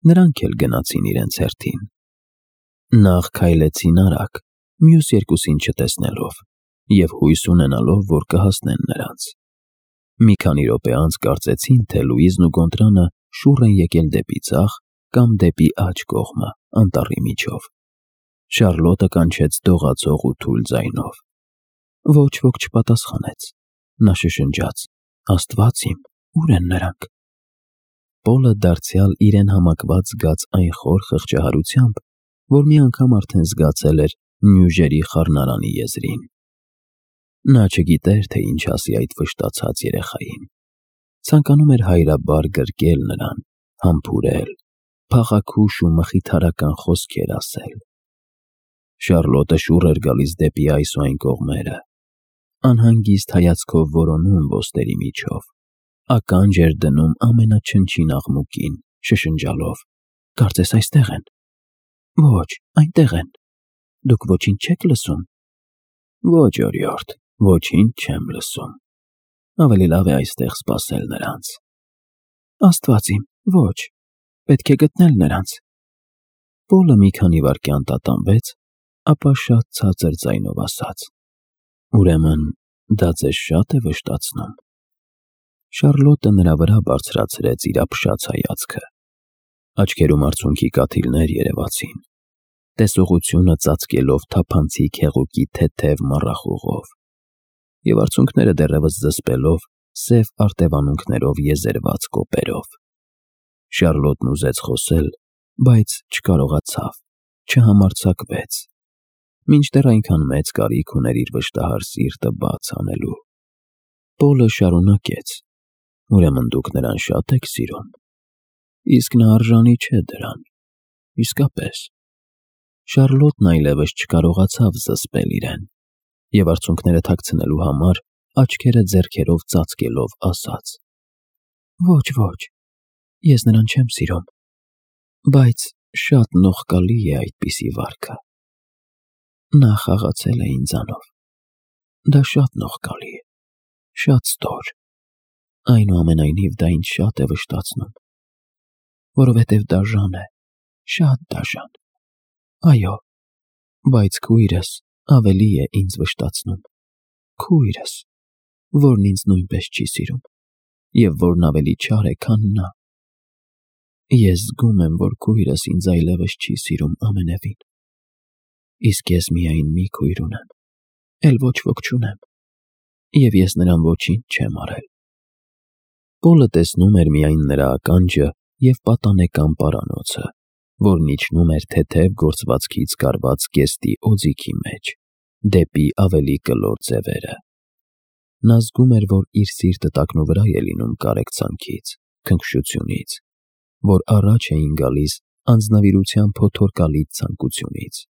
նրանք էլ գնացին իրենց հերթին։ Նախ քայլեցին արագ, մյուս երկուսին չտեսնելով, և հույս ունենալով, որ կհասնեն նրանց։ Մի քանի րոպե անց կարծեցին, թե Լուիզն ու Գոնտրանը շուռ են եկել դեպի ձախ կամ դեպի աջ կողմը, անտառի միջով։ Շարլոտը կանչեց դողացող ու թույլ ձայնով։ Ոչ ոք չպատասխանեց։ Նա շշնջաց. «Աստված իմ, ո՞ւր են նրանք»։ Պոլը դարձյալ իրեն համակված զգաց այն խոր խղճահարությամբ, որ մի անգամ արդեն զգացել էր Նյուժերի խառնարանի եզրին։ Նա չգիտեր, թե ինչ ասի այդ վշտացած երեխային։ Ցանկանում էր հայրաբար գրկել նրան, համբուրել, փաղաքուշ ու մխիթարական խոսքեր ասել։ Շարլոտը շուռ էր գալիս դեպի այս ու այն կողմերը, անհանգիստ հայացքով որոնում ոսტերի միջով, ականջ էր դնում ամենաչնչին աղմուկին, շշնջալով. «Կարծես այստեղ են»։ «Ոչ, այնտեղ են»։ «Դուք ոչինչ չեք լսում»։ «Ոչ, օրիորդ, ոչինչ չեմ լսում»։ Ավելի լավ է այստեղ սպասել նրանց։ «Աստված իմ, ոչ, պետք է գտնել նրանց»։ Պոլը մի քանի վայրկյան տատանվեց, ապա շատ ցածր ձայնով ասաց. «Ուրեմն դա ձեզ շատ է վշտացնում»։ Շարլոտը նրա վրա բարձրացրեց իր ապշած հայացքը։ Աչքերում արցունքի կաթիլներ երևացին, տեսողությունը ծածկելով թափանցիկ հեղուկի թեթև մառախուղով, և արցունքները դեռևս զսպելով սև արտևանունքներով եզերված կոպերով։ Շարլոտն ուզեց խոսել, բայց չկարողացավ, չհամարձակվեց, մինչդեռ այնքան մեծ կարիք ուներ իր վշտահար սիրտը բաց անելու։ Պոլը շարունակեց. «Ուրեմն դուք նրան շատ եք սիրում։ Իսկ նա արժանի չէ դրան, իսկապես»։ Շարլոտն այլևս չկարողացավ զսպել իրեն, և արցունքները թաքցնելու համար աչքերը ձեռքերով ծածկելով ասաց. «Ոչ, ոչ, ես նրան չեմ սիրում, բայց շատ նողկալի է այդպիսի վարքը։ Նա խաղացել է ինձանով։ Դա շատ նողկալի է, շատ ստոր։ Այնուամենայնիվ դա ինձ շատ է վշտացնում, որովհետև դաժան է, շատ դաժան։ Այո, բայց քույրս ավելի է ինձ վշտացնում, քույրս, որն ինձ նույնպես չի սիրում, և որն ավելի չար է, քան նա։ Ես զգում եմ, որ քույրս ինձ այլևս չի սիրում ամենևին։ Իսկ ես միայն մի քույր ունեմ, էլ ոչ ոք չունեմ, և ես նրան ոչինչ չեմ արել»։ Պոլը տեսնում էր միայն նրա ականջը և պատանեկան պարանոցը, որն իջնում էր թեթև գործվածքից կարված կեստի օձիքի մեջ, դեպի ավելի կլոր ձևերը։ Նա զգում էր, որ իր սիրտը տակնուվրա է լինում կարեկցանքից, քնքշությունից, որ առաջ էին գալիս անձնավիրության փոթորկալից ցանկությունից,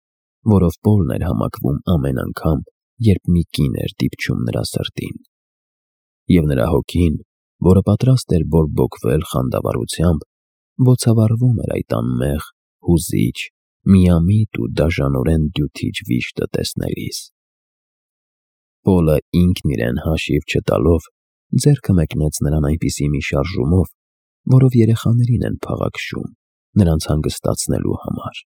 որով Պոլն էր համակվում ամեն անգամ, երբ մի կին էր դիպչում նրա սրտին։ Եվ նրա հոգին, որը պատրաստ էր բորբոքվել խանդավառությամբ, բոցավառվում էր այդ անմեղ, հուզիչ, միամիտ ու դաժանորեն դյութիչ վիշտը տեսնելիս։ Պոլը ինքն իրեն հաշիվ չտալով ձեռքը մեկնեց նրան այնպիսի մի շարժումով, որով երեխաներին են փաղաքշում, նրանց հանգստացնելու համար,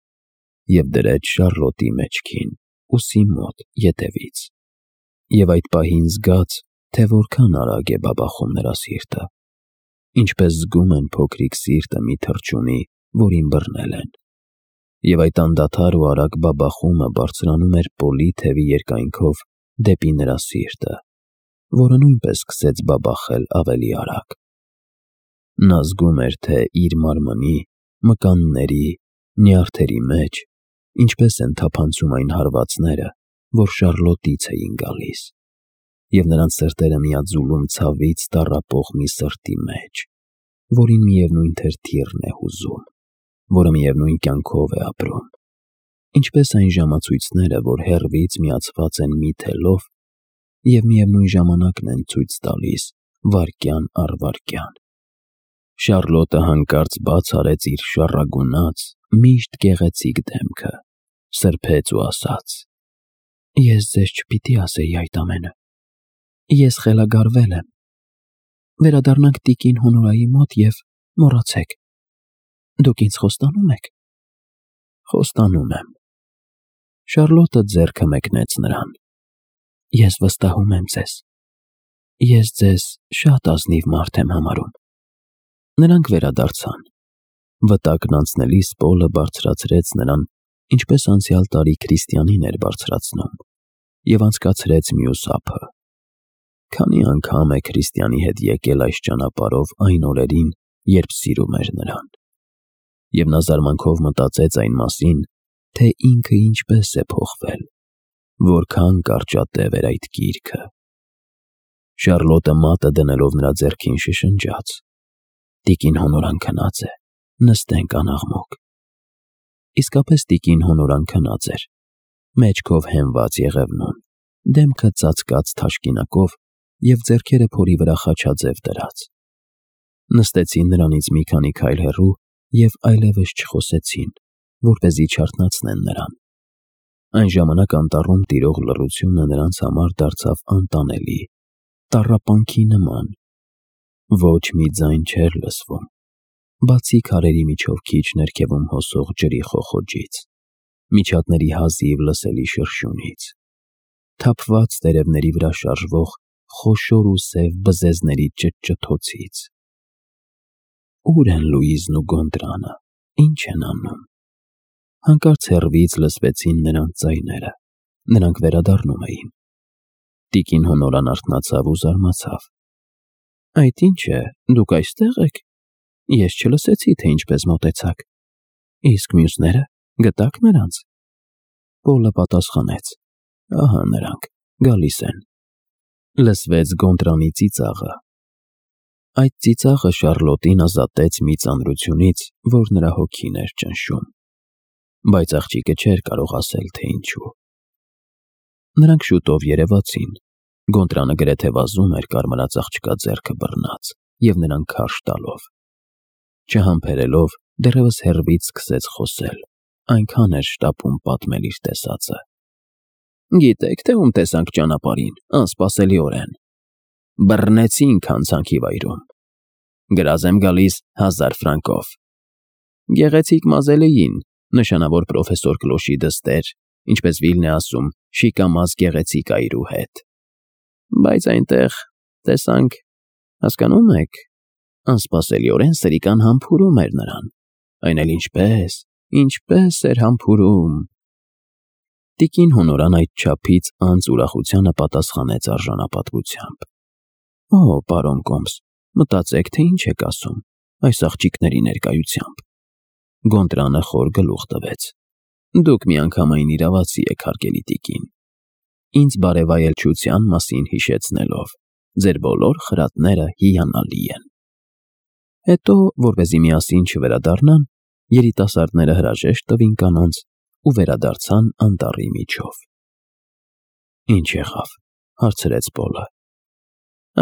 և դրեց Շարլոտի մեջքին, ուսի մոտ, ետևից։ Եվ այդ պահին զգաց, թե որքան արագ է բաբախում նրա սիրտը, ինչպես զգում են փոքրիկ սիրտը մի թռչունի, որին բռնել են։ Եվ այդ անդադար ու արագ բաբախումը բարձրանում էր Պոլի թևի երկայնքով դեպի նրա սիրտը, որը նույնպես սկսեց բաբախել ավելի արագ։ Նա զգում էր, թե իր մարմնի, մկանների, նյարդերի մեջ ինչպես են թափանցում այն հարվածները, որ Շարլոտից էին գալիս, և նրանց սրտերը միաձուլում ցավից տառապող մի սրտի մեջ, որին միևնույն թերթիռն է հուզում, որը միևնույն կյանքով է ապրում, ինչպես այն ժամացույցները, որ հեռվից միացված են մի թելով և միևնույն ժամանակն են ցույց տալիս վայրկյան առ վայրկյան։ Շարլոտը հանկարծ բաց արեց իր շառագունած, միշտ գեղեցիկ դեմքը, սրբեց ու ասաց. «Ես ձեզ չպիտի ասեի այդ ամենը։ Ես խելագարվել եմ։ Վերադառնանք տիկին Հոնորայի մոտ և մոռացեք։ Դուք ինձ խոստանում եք։ Խոստանում եմ։ Շարլոտը ձեռքը մեկնեց նրան։ Ես վստահում եմ ձեզ։ Ես ձեզ շատ ազնիվ մարդ եմ համարում։ Նրանք վերադարձան։ Վտակն անցնելիս Պոլը բարձրացրեց նրան, ինչպես անցյալ տարի Քրիստիանին էր բարձրացնում, և անցկացրեց մյուս ափը։ Քանի անգամ է Քրիստիանի հետ եկել այս ճանապարհով այն օրերին, երբ սիրում էր նրան։ Եվ նա զարմանքով մտածեց այն մասին, թե ինքը ինչպես է փոխվել, որքան կարճատև էր այդ գիրքը։ Շարլոտը մատը դնելով նրա ձեռքին շշնջաց. Տիկին Հոնորան քնած է, նստենք անաղմուկ։ Իսկապես տիկին Հոնորան քնած էր, մեջքով հենված եղևնուն, դեմքը ծածկած թաշկինակով և ձեռքերը փորի վրա խաչաձև դրած։ Նստեցին նրանից մի քանի քայլ հեռու և այլևս չխոսեցին, որպեսզի չարթնացնեն նրան։ Այն ժամանակ անտառում տիրող լռությունը նրանց համար դարձավ անտանելի, տառապանքի նման։ Ոչ մի ձայն չէր լսվում, բացի քարերի միջով քիչ ներքևում հոսող ջրի խոխոջից, միջատների հազիվ լսելի շրշյունից, թափված տերևների վրա շարժվող խոշոր ու սև բզեզների ճտճթոցից։ Ուր են Լուիզն ու Գոնտրանը, ինչ են անում։ Հանկարծ հեռվից լսվեցին նրանց ձայները, նրանք վերադառնում էին։ Տիկին Հոնորան արթնացավ ու զարմացավ։ Այդ ինչ է, դուք այստեղ եք։ Ես չլսեցի, թե ինչպես մոտեցաք։ Իսկ մյուսները, գտա՞ք նրանց։ Պոլը պատասխանեց. Ահա նրանք, գալիս են։ Լսվեց Գոնտրանի ծիծաղը։ Այդ ծիծաղը Շարլոտին ազատեց մի ծանրությունից, որ նրա հոգին էր ճնշում։ Բայց աղջիկը չէր կարող ասել, թե ինչու։ Նրանք շուտով երևացին։ Գոնտրանը գրեթե վազում էր կարմրած աղջկա ձեռքը բռնած և նրան քարշ տալով։ Չհամբերելով, դեռևս հեռվից սկսեց խոսել, այնքան էր շտապում պատմել իր տեսածը։ Գիտեք, թե ում տեսանք ճանապարհին, անսպասելիորեն։ Բռնեցինք հանցանքի վայրում։ Գրազ եմ գալիս 1000 ֆրանկով։ Գեղեցիկ մազելեին, նշանավոր պրոֆեսոր Կլոշի դստեր, ինչպես Վիլն է ասում, շիկամազ գեղեցիկ այրու հետ։ Բայց այնտեղ տեսանք, հասկանում եք, անսպասելիորեն սրիկան համբուրում էր նրան, այն էլ ինչպես էր համբուրում։ Տիկին Հոնորան այդչափից անց ուրախությանը պատասխանեց արժանապատվությամբ. Օ, պարոն Կոմս, մտածեք, թե ինչ եք ասում այս աղջիկների ներկայությամբ։ Գոնտրանը խոր գլուխ տվեց. Դուք միանգամայն իրավացի եք, հարգելի տիկին, ինձ բարևայելչության մասին հիշեցնելով, ձեր բոլոր խրատները հիանալի են։ Հետո, որպեսզի միասին չվերադառնան, երիտասարդները հրաժեշտ տվին կանանց ու վերադարձան անտառի միջով։ Ինչ եղավ, հարցրեց Պոլը։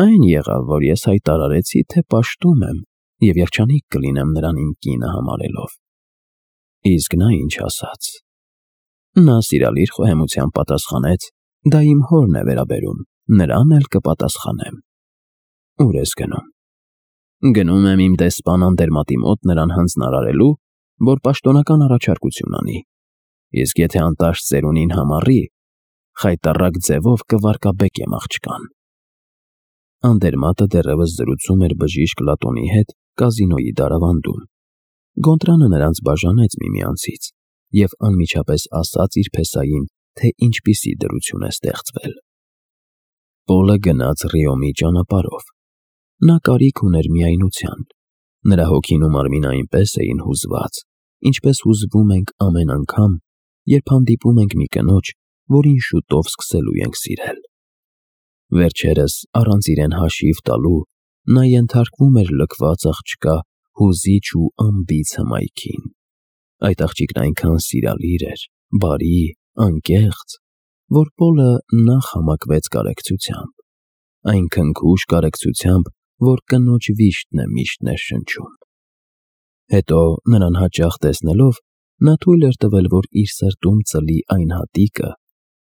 Այն եղավ, որ ես հայտարարեցի, թե պաշտում եմ և երջանիկ կլինեմ նրան իմ կինը համարելով։ Իսկ նա ինչ ասաց։ Նա սիրալիր խոհեմությամբ պատասխանեց. դա իմ հորն է վերաբերում, նրան էլ կպատասխանեմ։ Ուր ես գնում։ Գնում եմ իմ դեսպան Անդերմատի մոտ նրան հանձնարարելու, որ պաշտոնական առաջարկություն անի։ Իսկ եթե անտաշ ծերունին համառի, խայտառակ ձևով կվարկաբեկեմ աղջկան։ Անդերմատը դեռևս զրուցում էր բժիշկ Լատոնի հետ կազինոյի դարավանդում։ Գոնտրանը նրանց բաժանեց միմյանցից և անմիջապես ասաց իր փեսային, թե ինչպիսի դրություն է ստեղծվել։ Պոլը գնաց Ռիոմի ճանապարհով։ Նա կարիք ուներ միայնության։ Նրա հոգին ու մարմինը այնպես էին հուզված, ինչպես հուզվում ենք ամեն անգամ, երբ հանդիպում ենք մի կնոջ, որին շուտով սկսելու ենք սիրել։ Վերջերս, առանց իրեն հաշիվ տալու, նա ենթարկվում էր լքված աղջկա հուզիչ ու անբիծ հմայքին։ Այդ աղջիկն այնքան սիրալիր էր, բարի, անկեղծ, որ Պոլը նախ համակվեց կարեկցությամբ, այն քնքուշ կարեկցությամբ, որ կնոջ վիշտն է միշտ ներշնչում։ Հետո, նրան հաճախ տեսնելով, նա թույլ էր տվել, որ իր սրտում ծլի այն հատիկը,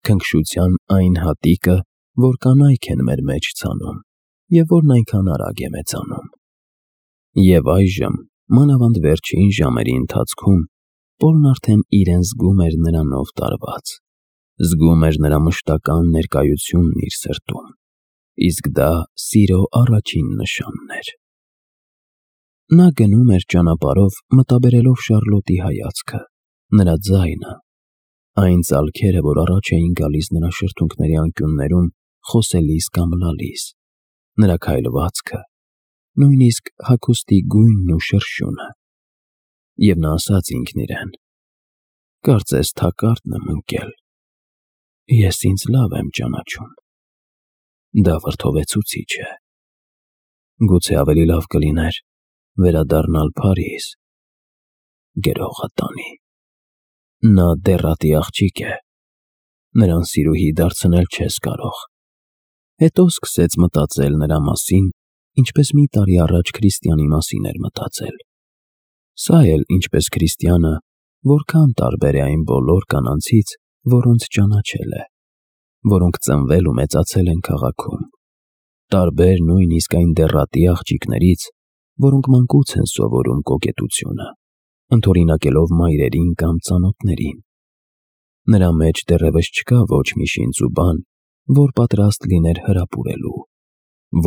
քնքշության այն հատիկը, որ կանայք են մեր մեջ ցանում, և որն այնքան արագ է մեծանում։ Եվ այժմ, մանավանդ վերջին ժամերի ընթացքում, Պոլն արդեն իրեն զգում էր նրանով տարված, զգում էր նրա մշտական ներկայությունն իր սրտում, իսկ դա սիրո առաջին նշանն էր։ Նա գնում էր ճանապարհով մտաբերելով Շարլոտի հայացքը, նրա ձայնը, այն ծալքերը, որ առաջ էին գալիս նրա շրթունքների անկյուններում խոսելիս կամ լալիս, նրա քայլվածքը, նույնիսկ հագուստի գույնն ու շրշյունը։ Եվ նա ասաց ինքն իրեն. «Կարծես թակարդն եմ ընկել, ես ինձ լավ եմ ճանաչում, դա վրդովեցուցիչ է, գուցե ավելի լավ կլիներ վերադառնալ Փարիզ, գրողը տանի, նա դեռատի աղջիկ է, նրան սիրուհի դարձնել չես կարող»։ Հետո սկսեց մտածել նրա մասին, ինչպես մի տարի առաջ Քրիստիանի մասին էր մտածել։ Սա էլ, ինչպես Քրիստիանը, որքան տարբեր է այն բոլոր կանանցից, որոնց ճանաչել է, որոնք ծնվել ու մեծացել են քաղաքում, տարբեր նույնիսկ այն դեռատի աղջիկներից, որոնք մանկուց են սովորում կոկետությունը, ընդօրինակելով մայրերին կամ ծանոթներին։ Նրա մեջ դեռևս չկա ոչ մի շինծ ու բան, որ պատրաստ լիներ հրապուրելու,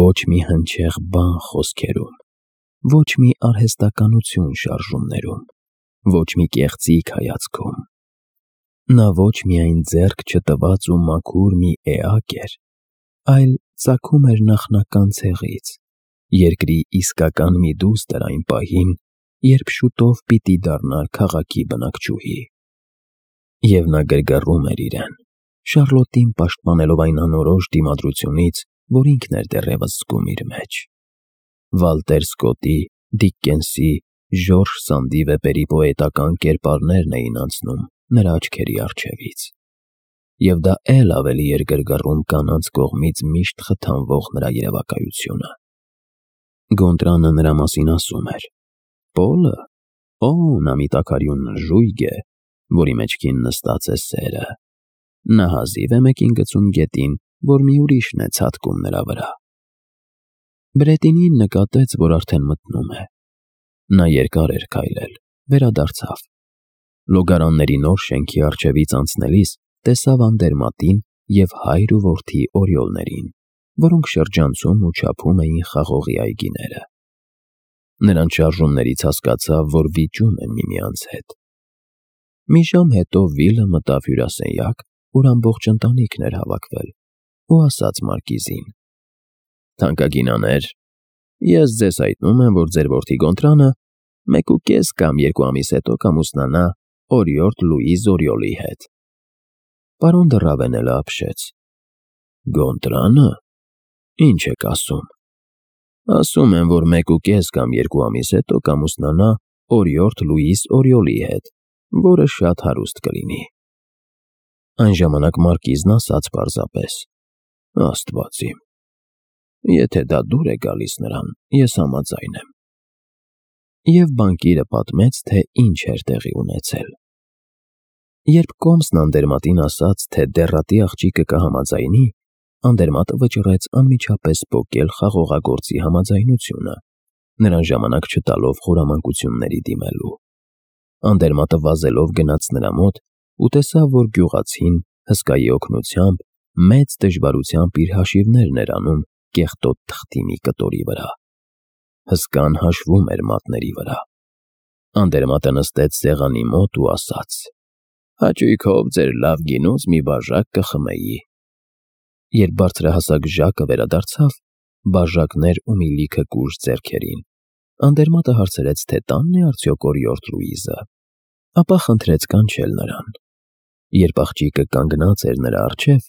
ոչ մի հնչեղ բան խոսքերում, ոչ մի արհեստականություն շարժումներում, ոչ մի կեղծիք հայացքում։ Նա ոչ միայն ձեռք չտված ու մաքուր մի էակ էր, այլ ծագում էր նախնական ցեղից, երկրի իսկական մի դուստր այն պահին, երբ շուտով պիտի դառնար քաղաքի բնակչուհի։ Եվ նա գրգռում էր իրեն, Շարլոտին պաշտպանելով այն անորոշ դիմադրությունից, որ ինքն էր դեռևս զգում իր մեջ։ Վալտեր Սկոտի, Դիկկենսի, Ժորժ Սանդի վեպերի պոետական կերպարներն էին անցնում նրա աչքերի առջևից, և դա էլ ավելի էր գրգռում կանանց կողմից միշտ խթանվող նրա երևակայությունը։ Գոնտրանը նրա մասին ասում էր. «Պոլը, նա մի տաքարյուն ժույգ է, որի մեջքին նստած է սերը, նա հազիվ է մեկին գցում գետին, որ մի ուրիշն է ցատկում նրա վրա»։ Բրետինին նկատեց, որ արդեն մտնում է։ Նա երկար էր քայլել, վերադարձավ։ Լոգարանների նոր շենքի առջևից անցնելիս տեսավ Անդերմատին և հայր ու որդի օրիոլներին, որոնք շրջանցում ու չափում էին խաղողի այգիները։ Նրանց շարժումներից հասկացավ, որ վիճում են միմյանց հետ։ Մի ժամ հետո Վիլը մտավ հյուրասենյակ, ուր ամբողջ ընտանիքն էր հավաքվել, ու ասաց մարկիզին. «Թանկագինաներ, ես ձեզ հայտնում եմ, որ ձեր որդի Գոնտրանը 1.5 կամ 2 ամիս հետո կամուսնանա օրիորդ Լուիզ Օրիոլի հետ»։ Պարոն դը Ռավենելը ապշեց. «Գոնտրանը, ինչ եք ասում»։ «Ասում եմ, որ 1.5 կամ 2 ամիս հետո կամուսնանա օրիորդ Լուիզ Օրիոլի հետ, որը շատ հարուստ կլինի»։ Այն ժամանակ մարկիզն ասաց պարզապես. «Աստված իմ, եթե դա դուր է գալիս նրան, ես համաձայն եմ»։ Եվ բանկիրը պատմեց, թե ինչ էր տեղի ունեցել։ Երբ կոմսն Անդերմատին ասաց, թե դեռատի աղջիկը կհամաձայնի, Անդերմատը վճռեց անմիջապես պոկել խաղողագործի համաձայնությունը, նրան ժամանակ չտալով խորամանկությունների դիմելու։ Անդերմատը վազելով գնաց նրա մոտ ու տեսավ, որ գյուղացին, հսկայի օգնությամբ, մեծ դժվարությամբ իր հաշիվներն էր անում կեղտոտ թղթի մի կտորի վրա։ Հսկան հաշվում էր մատների վրա։ Անդերմատը նստեց սեղանի մոտ ու ասաց. «Հաճույքով ձեր լավ գինուց մի բաժակ կխմեի»։ Երբ բարձրահասակ Ժակը վերադարձավ, բաժակներ ու մի լիքը կուժ ձեռքերին, Անդերմատը հարցրեց, թե տանն է արդյոք օրիորդ Լուիզը, ապա խնդրեց կանչել նրան։ Երբ աղջիկը կանգնած էր նրա առջև,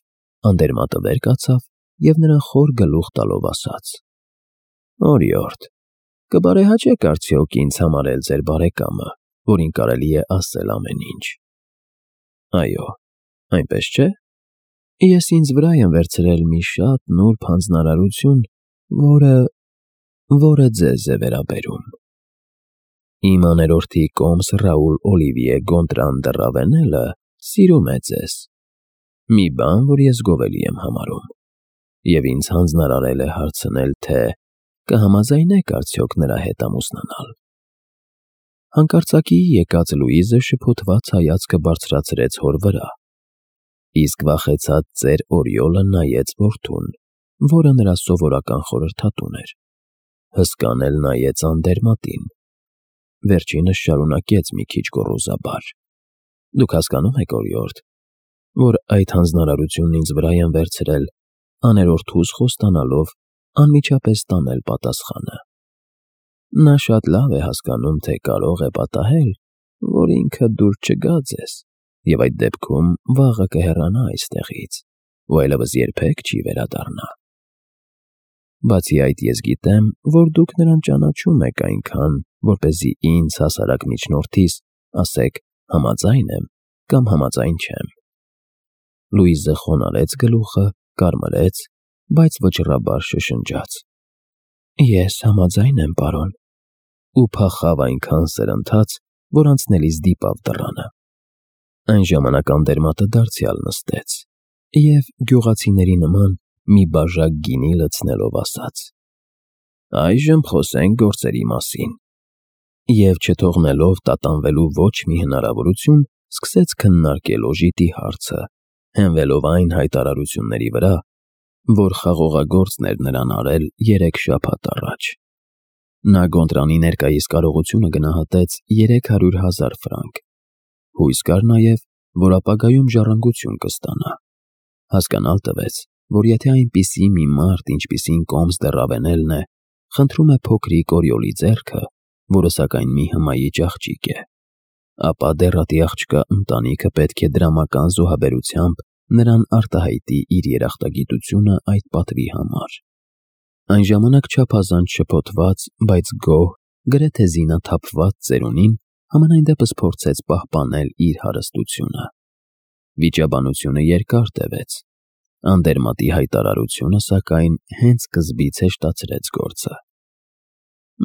Անդերմատը վեր կացավ և նրան խոր գլուխ տալով ասաց. «Օրիորդ, կբարեհաճեք արդյոք ինձ համարել ձեր բարեկամը, որին կարելի է ասել ամեն ինչ»։ «Այո, այնպես չէ՞։ Ես ինձ վրա եմ վերցրել մի շատ նուրբ հանձնարարություն, որը ձեզ է վերաբերում։ Իմ աներորդի կոմս Ռաուլ Օլիվիե Գոնտրան դը Ռավենելը սիրում է ձեզ, մի բան, որ ես գովելի եմ համարում, և ինձ հանձնարարել է հարցնել, թե կհամաձայնեք արդյոք նրա հետ ամուսնանալ»։ Հանկարծակի եկած Լուիզը շփոթված հայացքը բարձրացրեց հոր վրա, իսկ վախեցած ծեր Օրիոլը նայեց որդուն, որը նրա սովորական խորհրդատուն էր, հսկան էլ նայեց անդերմատին, վերջինս շարունակեց մի քիչ գոռոզաբար. «Դուք հասկանում եք, օրիորդ, որ այդ հանձնարարությունն ինձ վրա են վերցրել, աներորդուս խոստանալով անմիջապես տանել պատասխանը։ Նա շատ լավ է հասկանում, թե կարող է պատահել, որ ինքը դուր չգա ձեզ, և այդ դեպքում վաղը կհեռանա այստեղից, ու այլևս երբեք չի վերադառնա։ Բացի այդ, ես գիտեմ, որ դուք նրան ճանաչում եք այնքան, որպեսզի ինձ հասարակ միջնորդիս ասեք համաձայն եմ կամ համաձայն չեմ»։ Լուիզը խոնարհեց գլուխը, կարմրեց, բայց վճռաբար շշնջաց. «Ես համաձայն եմ, պարոն», ու փախավ այնքան սրընթաց, որ անցնելիս դիպավ դռանը։ Այն ժամանակ անդերմատը դարձյալ նստեց և գյուղացիների նման մի բաժակ գինի լցնելով ասաց. «Այժմ խոսենք գործերի մասին», և չթողնելով տատանվելու ոչ մի հնարավորություն, սկսեց քննարկել օժիտի հարցը, հենվելով այն հայտարարությունների վրա, որ խաղողագործն էր նրան արել 3 շաբաթ առաջ։ Նա Գոնտրանի ներկայիս կարողությունը գնահատեց 300,000 ֆրանկ, հույս կար նաև, որ ապագայում ժառանգություն կստանա։ Հասկանալ տվեց, որ եթե այնպիսի մի մարդ, ինչպիսին Կոմս դե Ռավենելն է, խնդրում է փոքրիկ Օրիոլի ձեռքը, որը սակայն մի հմայիչ աղջիկ է, ապա դեռատի աղջկա ընտանիքը պետք է դրամական զոհաբերությամբ նրան արտահայտի իր երախտագիտությունը այդ պատվի համար։ Այն ժամանակ չափազանց շփոթված, բայց գոհ, գրեթե զինաթափված ծերունին համենայն դեպս փորձեց պահպանել իր հարստությունը։ Վիճաբանությունը երկար տևեց։ Անդերմատի հայտարարությունը, սակայն, հենց սկզբից հեշտացրեց գործը։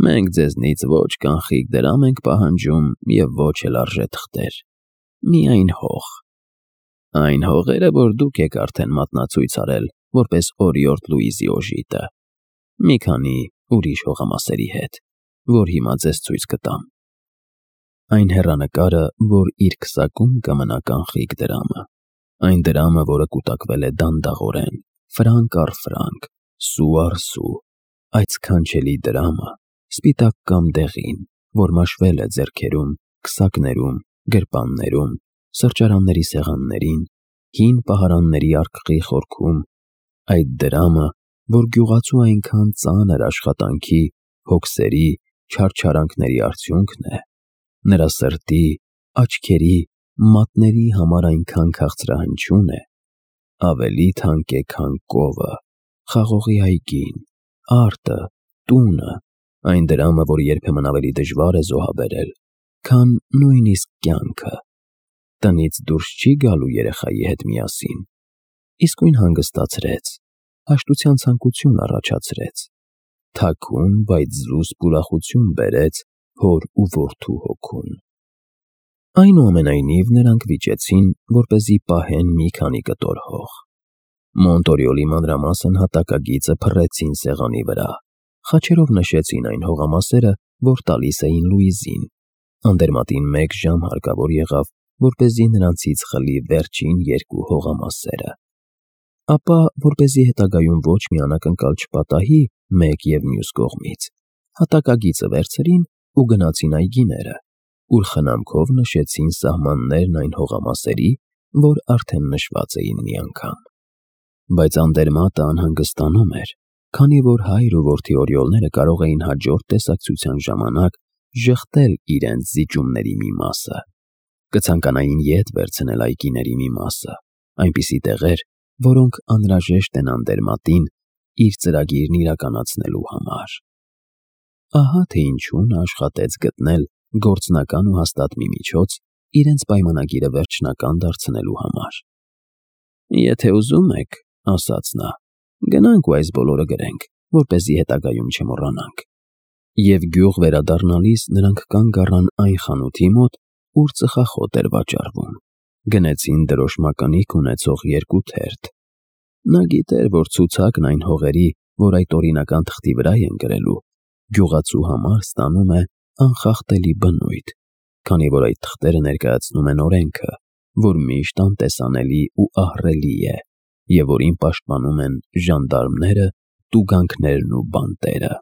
«Մենք ձեզնից ոչ կանխիկ դրամ ենք պահանջում և ոչ էլ արժեթղթեր, միայն հող։ Այն հողերը, որ դուք եք արդեն մատնացույց արել որպես օրիորդ Լուիզի օժիտը, մի քանի ուրիշ հողամասերի հետ, որ հիմա ձեզ ցույց կտամ»։ Այն հեռանկարը, որ իր քսակում կմնա կանխիկ դրամը, այն դրամը, որը կուտակվել է դանդաղորեն, ֆրանկ առ ֆրանկ, սու առ սու, այդ սքանչելի դրամը, սպիտակ կամ դեղին, որ մաշվել է ձեռքերում, քսակներում, գրպաններում, սրճարանների սեղաններին, հին պահարանների արկղի խորքում, այդ դրամը, որ գյուղացու այնքան ծանր աշխատանքի, հոգսերի, չարչարանքների արդյունքն է, նրա սրտի, աչքերի, մատների համար այնքան քաղցրահնչյուն է, ավելի թանկ է, քան կովը, խաղողի այգին, արտը, տունը, այն դրամը, որ երբեմն ավելի դժվար է զոհաբերել, քան նույնիսկ կյանքը։ Տնից դուրս չի գալու երեխայի հետ միասին, իսկույն հանգստացրեց, հաշտության ցանկություն առաջացրեց, թաքուն, բայց զուսպ ուրախություն բերեց հոր ու որդու հոգուն։ Այնուամենայնիվ նրանք վիճեցին, որպեսզի պահեն մի քանի կտոր հող։ Մոնտորիոլի մանրամասն հատակագիծը փռեցին սեղանի վրա, խաչերով նշեցին այն հողամասերը, որ տալիս էին Լուիզին։ Անդերմատին 1 ժամ հարկավոր եղավ, որպեսզի նրանցից խլի վերջին 2 հողամասերը։ Ապա, որպեսզի հետագայում ոչ մի անակնկալ չպատահի մեկ և մյուս կողմից, հատակագիծը վերցրին ու գնացին այգիները, ուր խնամքով նշեցին սահմաններն այն հողամասերի, որ արդեն նշված էին մի անգամ։ Բայց Անդերմատը անհանգստանում էր, քանի որ հայր ու որդի Օրիոլները կարող էին հաջորդ տեսակցության ժամանակ ժխտել իրենց զիջումների մի մասը, կցանկանային ետ վերցնել այգիների մի մասը, այնպիսի տեղեր, որոնք անհրաժեշտ են Անդերմատին իր ծրագիրն իրականացնելու համար։ Ահա թե ինչու նա աշխատեց գտնել գործնական ու հաստատ մի միջոց իրենց պայմանագիրը վերջնական դարձնելու համար։ «Եթե ուզում եք, — ասաց նա, — գնանք ու այս բոլորը գրենք, որպեսզի հետագայում չմոռանանք»։ Եվ գյուղ վերադառնալիս նրանք կանգ առան այն խանութի մոտ, ուր ծխախոտ էր վաճառվում, գնեցին դրոշմականիկ ունեցող 2 թերթ։ Նա գիտեր, որ ցուցակն այն հողերի, որ այդ օրինական թղթի վրա են գրելու, գյուղացու համար ստանում է անխախտելի բնույթ, քանի որ այդ թղթերը ներկայացնում են օրենքը, որ միշտ անտեսանելի ու ահռելի է, և որին պաշտպանում են ժանդարմները, տուգանքներն ու բանտերը։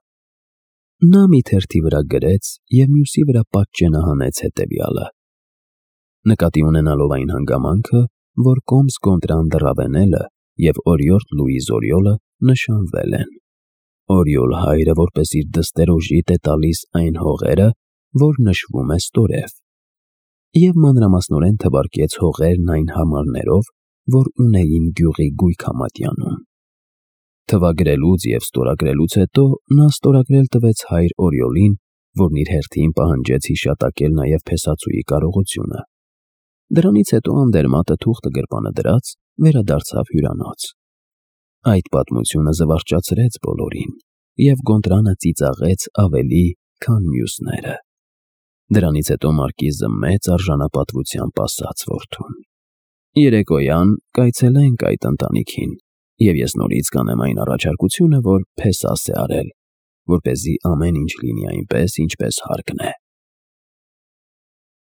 Նա մի թերթի վրա գրեց և մյուսի վրա պատճենը հանեց հետևյալը. նկատի ունենալով այն հանգամանքը, որ Կոմս Կոնտրան de Ravenel-ը և Օրիորդ Լուիզ Օրիոլը նշանվել են։ Օրիոլ հայրը որպես իր դստերոժիտ է տալիս այն հողերը, որ նշվում է ստորև, և մանրամասնորեն թվարկեց հողերն այն համարներով, որ ունեին գյուղի գույքամատյանում։ Թվագրելուց և ստորագրելուց հետո նա ստորագրել տվեց հայր Օրիոլին, որն իր հերթին պահանջեց հիշատակել նաև փեսացուի կարողությունը։ Դրանից հետո Անդերմատը թուղթը գրպանը դրած վերադարձավ հյուրանոց։ Այդ պատմությունը զվարճացրեց բոլորին, և Գոնտրանը ծիծաղեց ավելի, քան մյուսները։ Դրանից հետո մարկիզը մեծ արժանապատվությամբ ասաց որդուն. երեկոյան կայցելենք այդ ընտանիքին, և ես նորից կանեմ այն առաջարկությունը, որ Փեսաս է արել, որպեսզի ամեն ինչ լինի այնպես, ինչպես հարկն է։